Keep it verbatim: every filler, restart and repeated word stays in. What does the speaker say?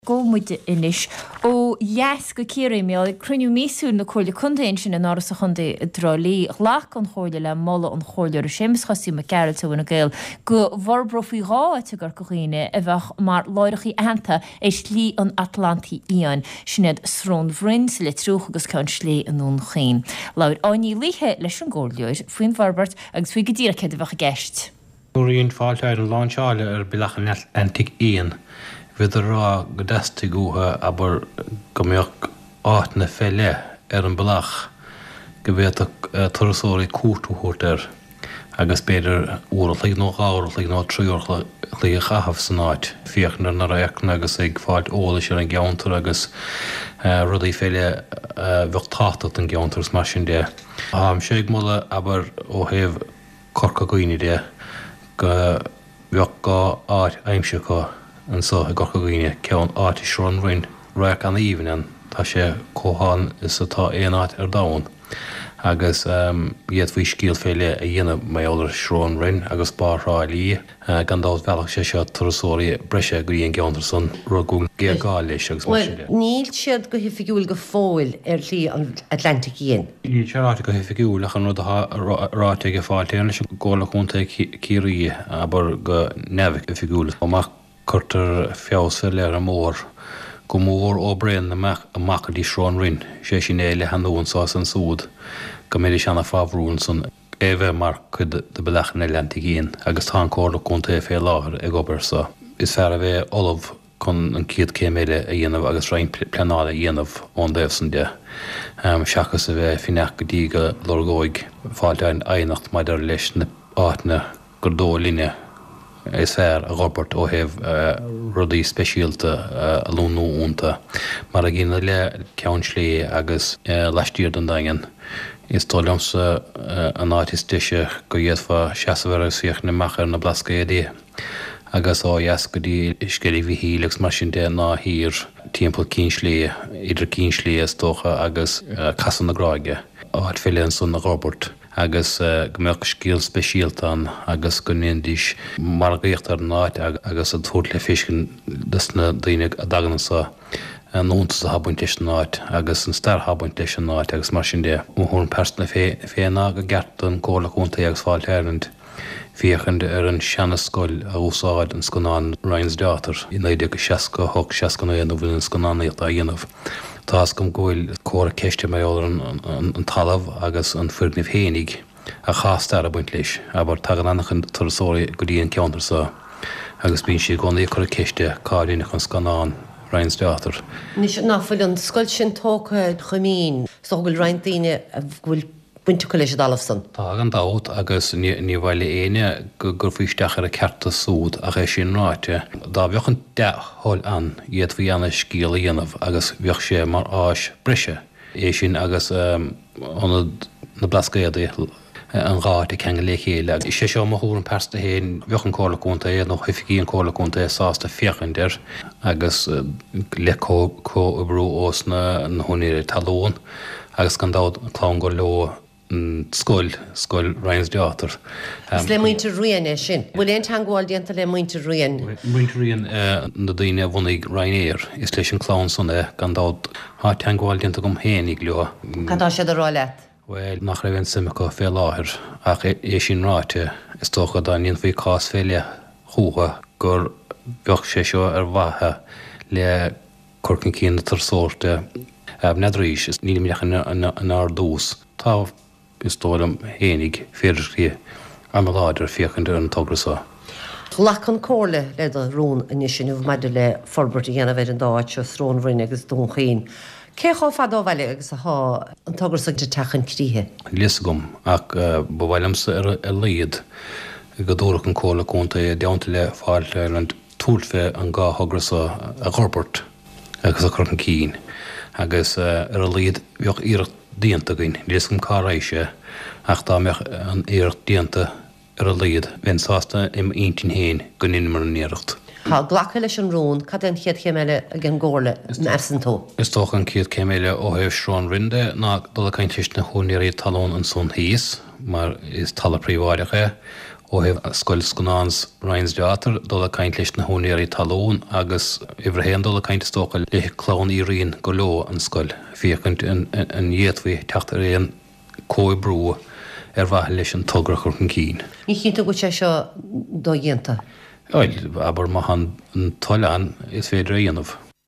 Gabhfaidh muid anois ó dheas go Ciarraí, ag cruinniú míosúil na Comhairle Contae ansin in Áras an Chontae i dTrá Lí. Ghlac an Chomhairle le moladh an Chomhairleora Séamus Chosaí Mac Gearailt ó Fhine Gael go bhforbrófaí dhá áit i gCorca Dhuibhne a bheadh mar láithreacha aitheanta ar Shlí an Atlantaigh Fhiáin, sin iad Srón Bhroin sa Leitriúch agus Ceann Sléibhe i nDún Chaoin. Labhair Áine Ní Laoithe leis an gcomhairleoir faoin bhforbairt agus faoi go díreach céard a bheadh i gceist. Nuair a Fáilte Éireann láinseáilte ar Bealach an Atlantaigh Fhiáin, bhíodar ag rá go dteastaigh uathu, abair, go mbeadh áiteanna fé leith ar an bealach go bhféadfadh turasóirí cuairt a thabhairt air agus b'fhéidir uair a chloig nó dhá uair a chloig nó trí uair a chloig a chaitheamh san áit, féachaint ar na radharcanna agus ag fáilt eolais ar an gceantar agus rudaí fé leith a bheadh tábhachtach don gceantar agus mar sin de. Táimse ag moladh, abair, ó thaobh Corca Dhuibhne de, go mbeadh dhá áit aimsithe acu anso i gCorca Dhuibhne, ceann áit i Srón Bhroin, radharc an-aoibhinn ann, tá sé chomh hálainn is atá aon áit ar domhan, agus d'fhéadfaí scéal fé leith a dhéanamh mar gheall ar Srón Bhroin agus Barr Thrá Lí. Gan dabht mheallfadh sé seo turasóirí breise go dtí an gceantar san, rud go bhfuil géarghá leis agus mar sin de. Bhuel, níl siad go hoifigiúil go fóill ar Shlí an Atlantaigh Fhiáin. Níl sé ráite go hoifigiúil ach an rud atá ráite ag Fáilte Éireann leis an gComhairle Contae Ciarraí, abair go neamhoifigiúil, má cuirtear feabhas fé leith ar an mbóthar, go mór ó Bhréanainn amach amach go dtí Srón Rinn, sé sin é a leathnú anso is ansúd, go mbeidís ana-fhábharúil ansan. é bheith mar chuid de Bealach an Atlantaigh Fhiáin agus tá an Comhairle Contae fé láthair ag obair air so. Is fearr a bheith ullamh chun an chéad céim eile a dhéanamh agus roinnt pleanála a dhéanamh ón dtaobh san de, seachas a bheith ag fanacht go dtí go lorgóidh Fáilte Éireann aighneacht maidir leis na áiteanna gur dóigh linne is fearr a dh'fhorbairt ó thaobh rudaí speisialta a lonnú iontu, mar a gcéanna le Ceann Sléibhe agus laistiar den Daingean. Is dóigh liomsa an áit is deise go bhféadfá seasamh air agus féachaint amach ar na Blascaodaí agus ó dheas go dtí Sceilg Mhichíl agus mar sin de ná thiar timpeall Cinn Sléibhe, idir Cinn Sléibhe is dócha agus Casadh na Gráige, áit fé leith ansan a dh'fhorbairt. agus go mbeadh scéal speisialta ann agus go ndéanfaidís margaíocht ar an áit agus a tabhairt le feiscint dos na daoine a dtagann anso an fhiúntas atá ag baint leis an áit agus an stair atá ag baint leis an áit agus mar sin de. Mo thuairim pearsanta féin ná gur ceart don Chomhairle Contae agus Fáilte Ireland féachaint ar an seana-scoil a úsáid an scannán Ryan's Daughter i naoi déag seasca a hocht, seasca naoi nuair a bhí an scannánaíocht á dhéanamh. Tá fhios agam go bhfuil comhartha ceiste mar gheall ar an talamh agus an foirgneamh fhéinig ach tá stair ag baint leis. Abair, tagann an-chuid turasóirí go dtí an ceantar so agus bíonn siad i gcónaí ag cur ceiste cá rinneadh an scannán Ryan's Daughter. Anois, nach bhfuil an scoil sin tógtha chomh mín is dócha go bhfuil roinnt daoine a bhfuil baint acu leis an dtalamh san. Tá, gan dabht, agus ní mhaith le éinne go gcuirfí isteach ar a cearta súd, ach é sin ráite, dá bheadh an dea-thoil ann, d'fhéadfaí ana-scéal a dhéanamh agus bheadh sé mar áis breise, é sin agus Ionad na Blascaodaí, an dhá áit ag ceangal le chéile. Is é seo mo thuairim pearsanta féin, bheadh an Comhairle Contae nó oifigí an Comhairle Contae sásta féachaint air agus le comhoibriú ós na húinéirí talún. Agus gan dabht, clann gur leo an scoil, scoil Ryan's Daughter. Is le muintir Ryan é sin. Bhfuil aon teangmháil déanta le muintir Ryan? Muintir Ryan, na daoine a bhunaigh Ryanair. Is leis an clann san é, gan dabht. Tá teangmháil déanta agam fhéinig leo. Cad tá siad a rá leat? Bhuel, nach raibh aon suim acu fé láthair. Ach é sin ráite, is dócha dá ndéanfaí cás fé leith chucu gur bheadh sé seo ar mhaithe le cur chun cinn na turasóireachta. N'fheadraís, nílimid ach inár dtús. Tá, is dóigh liom fhéinig, féidearthachtaí an-láidir féachaint ar an togra seo. Ghlac an Comhairle le do rún anois inniu maidir le forbairt a dhéanamh ar an dá áit seo, Srón Bhroin agus Dún Chaoin. Cé chomh fada ó bhaile agus atá an togra seo ag teacht chun críche? Níl fhios agam, ach ba mhaith liomsa ar a laghad go dtabharfadh an Comhairle Contae i dteannta le Fáilte Ireland tabhairt fé an dhá thogra seo a dh'fhorbairt agus a chur chun cinn agus ar a laghad bheadh iarracht déanta againn. Níl fhios agam cá raghaidh sé ach dá mbeadh an iarracht déanta ar a laghad bheinn sásta i m'intinn féin go ndeineamar an iarracht. Tá glactha leis an rún, cad é an chéad chéim eile ag an gComhairle, measann tú? Is dócha an chéad chéim eile ó thaobh Srón Bhroin de ná dul ag caint leis na húinéirí talún ansan thíos mar is talamh príobháideach é. ó thaobh Scoil Scannáns Ryan's Daughter dul ag caint leis na húinéirí talún agus uimhir a haon dul ag caint is dócha le clann Uí Riain gur leo an scoil, féachaint an bhféadfaí teacht ar aon comhoibriú ar mhaithe leis an togra a chur chun cinn. Ní chinnte go bhfuil sé seo dodhéanta. Bhuel, abair má tá an toil ann, is féidir é a dhéanamh.